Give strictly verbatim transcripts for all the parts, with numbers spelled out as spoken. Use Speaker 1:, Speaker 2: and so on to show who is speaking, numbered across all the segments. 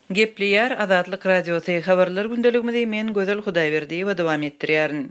Speaker 1: Gepleýär Azatlyk Radiosy habarlar gündeligimizi men Gözel Hudaýberdiýewa dowam etdirýärin.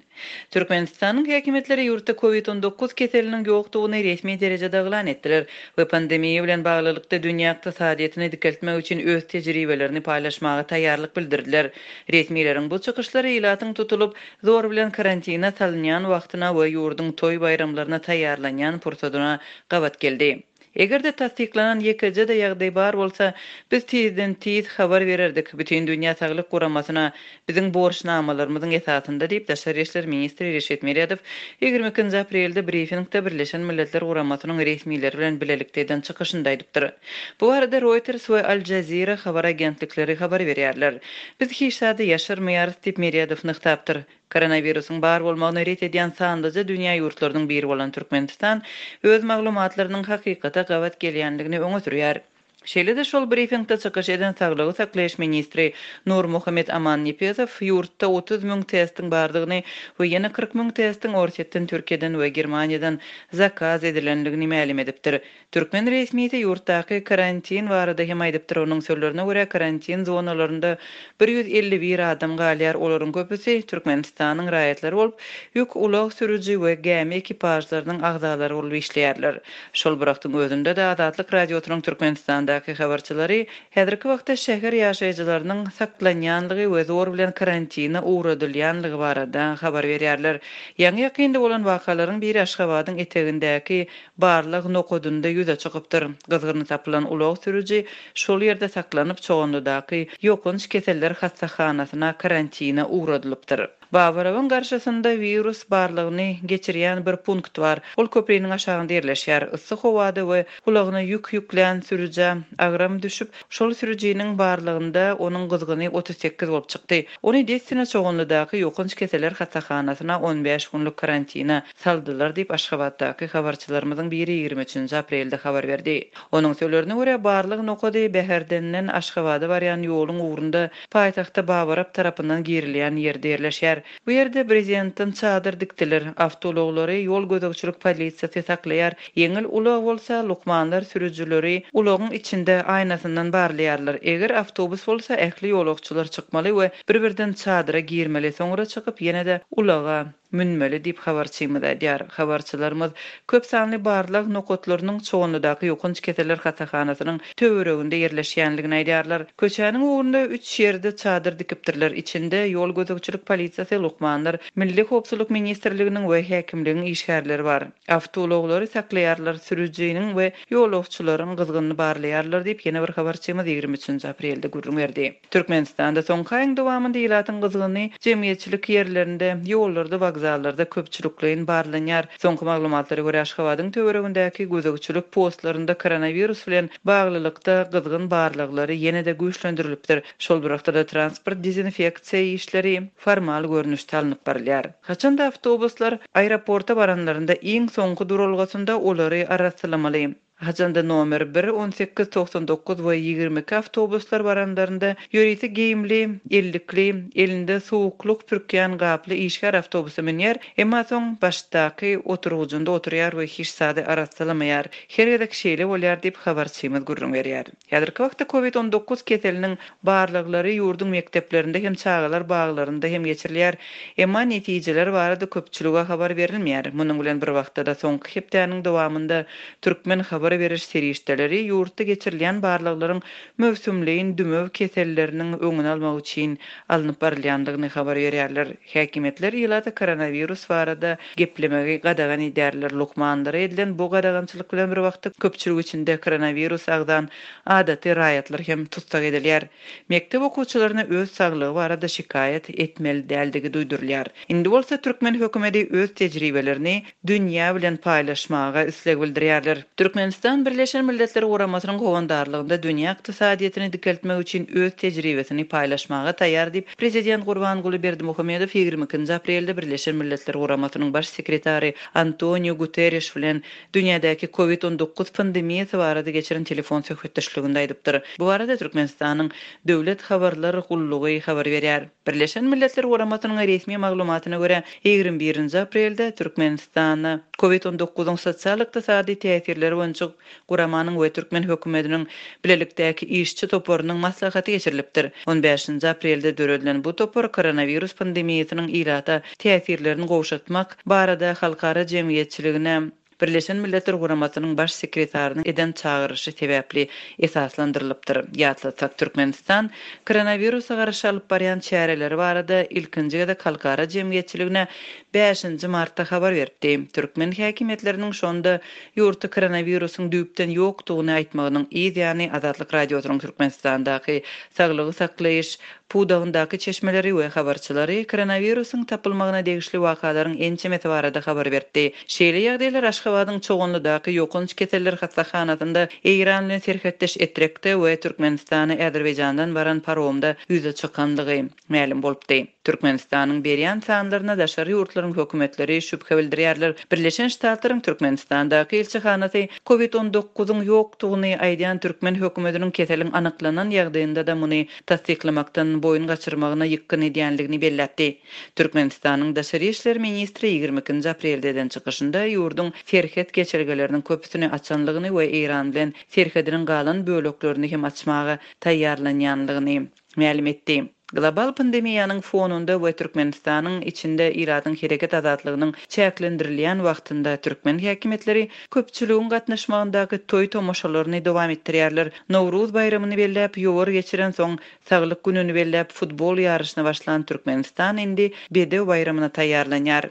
Speaker 1: Türkmenistanyň häkimiýetleri ýurtda Covid on dokuz keseliniň ýokdugyny resmi derejede yglan etdiler we pandemiýa bilen baglylykda dünýä ykdysadyýetini dikeltmek üçin öz tejribelerini paýlaşmaga taýýarlyk bildirdiler. Resmileriň bu çykyşlary ilatyň tutulyp, zor bilen karantina salynýan wagtyna we ýurduň toý baýramlaryna taýýarlanýan pursadyna gabat geldi. Eger-de tassyklanan ýekeje-de ýagdaý bar bolsa, biz tizden tiz habar bererdik. Bütün Dünýä Saglyk Guramasyna biziň borçnamalarymyzyň esasynda diýip, Daşary işler ministri Reşit Meredow ýigrimi ikinji aprelde brifingde Birleşen Milletler Guramasynyň resmileri bilen bilelikde eden çykyşynda aýdypdyr. Bu barada Reuters we Al Jazeera habar agentlikleri habar berýärler. Biz hiç zady ýaşyrmaýarys diýip, Meredow nygtapdyr. Koronawirusyň bar bolmagyny ret edýän sanlyja dünýä ýurtlarynyň biri bolan Türkmenistan öz maglumatlarynyň hakykata gabat gelýänligini öňe sürýär. Şeýle-de şol brifingde çykyş eden saglygy saklaýyş ministri Nurmuhammet Amannepesow ýurtda otuz müň testiň bardygyny we ýene kyrk müň testiň Orsýetden, Türkiýeden we Germaniýadan zakaz edilenligini mälim edipdir. Türkmen resmisi ýurtdaky karantin barada hem aýdypdyr. Onuň sözlerine görä karantin zonalarynda bir ýüz elli bir adam galýar. Olaryň köpüsi Türkmenistanyň raýatlary bolup, ýük ulag sürüji we gämi ekipažlarynyň agzalary bolup işleýärler. Şol bir wagtyň özünde de Azatlyk Radiosynyň Türkmenistandaky habarçylary häzirki wagtda şäher ýaşaýjylarynyň saklanýanlygy we zor bilen karantina ugradylýanlygy barada habar berýärler. Ýaňy ýakynda bolan wakalaryň biri Aşgabadyň etegindäki barlag nokadynda ýüze çykypdyr. Gyzgyny tapylan ulag sürüji şol ýerde saklanyp, Çoganlydaky ýokanç keseller hassahanasyna karantina ugradylypdyr. Babarowyň garşysynda wirus barlygyny geçirýän bir punkt bar. Ol köpriniň aşagynda ýerleşýär. Yssy howada we ulagyna ýük ýüklän sürüjä agram düşüp, şol sürüjiniň barlygynda onuň gyzgyny otuz sekiz bolup çykdy. Ony dessine Çoganlydaky ýokanç keseller hassahanasyna on bäş günlük karantina saldylar diýip Aşgabatdaky habarçylarymyzyň biri ýigrimi üçünji aprelde habar berdi. Onuň sözlerine görä barlyk nokady Bäherdenden Aşgabada barýan ýoluň ugrunda paýtagtda Babarap tarapyndan girilýän ýerde ýerleşýär. Bu ýerde prezidentden çadyr dikdiler. Awtoulaglary ýol gözegçilik polisiýasy saklaýar. Ýeňil ulag bolsa lukmanlar sürüjileri ulagyň içinde aýnasyndan barlaýarlar. Eger awtobus bolsa ähli ýolagçylar çykmaly we bir-birden çadyra girmeli, soňra çykyp ýene-de ulaga münmeli diýip habarçymyz aýdýar. Habarçylarymyz köp sanly barlag nokatlarynyň Çoganlydaky ýokanç keseller hassahanasynyň töwereginde ýerleşýänligini aýdýarlar. Köçäniň ugrunda üç ýerde çadyr dikipdirler. Içinde ýol gözegçilik polisiýasy, lukmanlar, Milli Howpsuzlyk ministrliginiň we häkimligiň işgärleri bar. Awtoulaglary saklaýarlar, sürüjiniň we ýolagçylaryň gyzgynyny barlaýarlar diýip ýene bir habarçymyz ýigrimi üçünji aprelde gürrüň berdi. Türkmenistanda soňky aýyň dowamynda ilatyň gyzgyny jemgyýetçilik ýerlerinde, ýollarda, wokzallarda köpçülikleýin barlanýar. Soňky maglumatlara görä Aşgabadyň töweregindäki gözegçilik postlarynda koronawirus bilen baglylykda gyzgyn barlaglary ýene-de güýçlendirilipdir. Şol bir wagtda transport dezinfeksiýa işleri formal görnüşde alnyp barylýar. Haçanda awtobuslar aeroporta baranlarynda iň soňky duralgasynda olary arassalamaly. Haçanda nomer bir, on sekiz, togsan dokuz we ýigrimi iki awtobuslar baranlarynda ýörite geýimli, ellikli, elinde suwuklyk pürkýän gaply işgär awtobusa münýär, emma soň başdaky oturgyjynda oturýar we hiç zady arassalamaýar. Her gezek şeýle bolýar diýip habarçymyz gürrüň berýär. Häzirki wagtda Covid on dokuz keseliniň barlaglary ýurduň mekdeplerinde hem çagalar baglarynda hem geçirilýär. Emma netijeler barada köpçülige habar berilmeýär. Munuň bilen bir wagtda da soňky hepdäniň dowamynda türkmen habar beriş serişdeleri ýurtda geçirilýän barlaglaryň möwsümleýin dümew keselleriniň öňüni almak üçin alnyp barylýandygyny habar berýärler. Häkimiýetler ilata koronawirus barada geplemegi gadagan edýärler. Lukmanlara edilen bu gadagançylyk bilen bir wagtda köpçülik içinde koronawirus agzan adaty raýatlar hem tutsak edilýär. Mekdep okuwçylaryna öz saglygy barada şikaýat etmeli däldigi duýdurylýar. Indi bolsa türkmen hökümeti öz tejribelerini dünýä bilen paýlaşmaga isleg bildirýärler. Türkmenistan Birleşen Milletler Guramasynyň howandarlygynda dünýä ykdysadyýetini dikeltmek üçin öz tejribesini paýlaşmaga taýýar diýip Prezident Gurbanguly Berdimuhamedow ýigrimi ikinji aprelde Birleşen Milletler Guramasynyň baş sekretary Antonio Guterres bilen dünýädäki Covid on dokuz pandemiýasy barada geçiren telefon söhbetdeşliginde aýdypdyr. Bu barada Türkmenistanyň Döwlet habarlar gullugy habar berýär. Birleşen Milletler Guramasynyň resmi maglumatyna görä ýigrimi birinji aprelde Türkmenistanda Covid on dokuzyň sosial-ykdysady täsirleri boýunça guramanyň we türkmen hökümetiniň bilelikdäki işçi toparynyň maslahaty geçirilipdir. On bäşinji aprelde döredilen bu topar koronawirus pandemiýasynyň ilata täsirlerini gowşatmak barada halkara jemgyýetçiligine Birleşen Milletler Guramasynyň baş sekretarynyň eden çagyryşy sebäpli esaslandyrylypdyr. Ýatlatsak, Türkmenistan koronawirusa garşy alyp barýan çäreleri barada ilkinji gezek halkara jemgyýetçiligine bäşinji martda habar beripdi. Türkmen häkimiýetleriniň şonda ýurtda koronawirusyň düýpden ýokdugyny aýtmagynyň yz ýany Azatlyk Radiosynyň Türkmenistandaky saglygy saklaýyş pudagyndaky çeşmeleri we habarçylary koronawirusyň tapylmagyna degişli wakalaryň ençemesi barada habar berdi. Şeýle ýagdaýlar Aşgabadyň Çoganlydaky ýokanç keseller hassahanasynda Eýran bilen serhetdeş Etrekde we Türkmenistana Azerbaýjandan baran paromda ýüze çykanlygy mälim bolupdy. Türkmenistanyň berýän sanlaryna daşary ýurtlaryň hökümetleri şübhe bildirýärler. Birleşen Ştatlaryň Türkmenistandaky ilçihanasy Covid on dokuzyň ýokdugyny aýdýan türkmen hökümetiniň keseliň anyklanan ýagdaýynda da muny tassyklamakdan boýun gaçyrmagyna ýykgyn edýänligini belläpdi. Türkmenistanyň Daşary işler ministri ýigrimi ikinji aprelde eden çykyşynda ýurduň serhet geçelgeleriniň köpüsini açanlygyny we Eýran bilen serhediniň galan böleklerini hem açmaga taýýarlanýanlygyny mälim etdi. Global pandemiýanyň fonunda we Türkmenistanyň içinde ilatyň hereket azatlygynyň çäklendirilýän wagtynda türkmen häkimiýetleri köpçüligiň gatnaşmagyndaky toý tomaşalaryny dowam etdirýärler. Nowruz baýramyny belläp, ýowar geçiren soň saglyk gününi belläp futbol ýaryşyna başlan Türkmenistan indi Bedew baýramyna taýýarlanýar.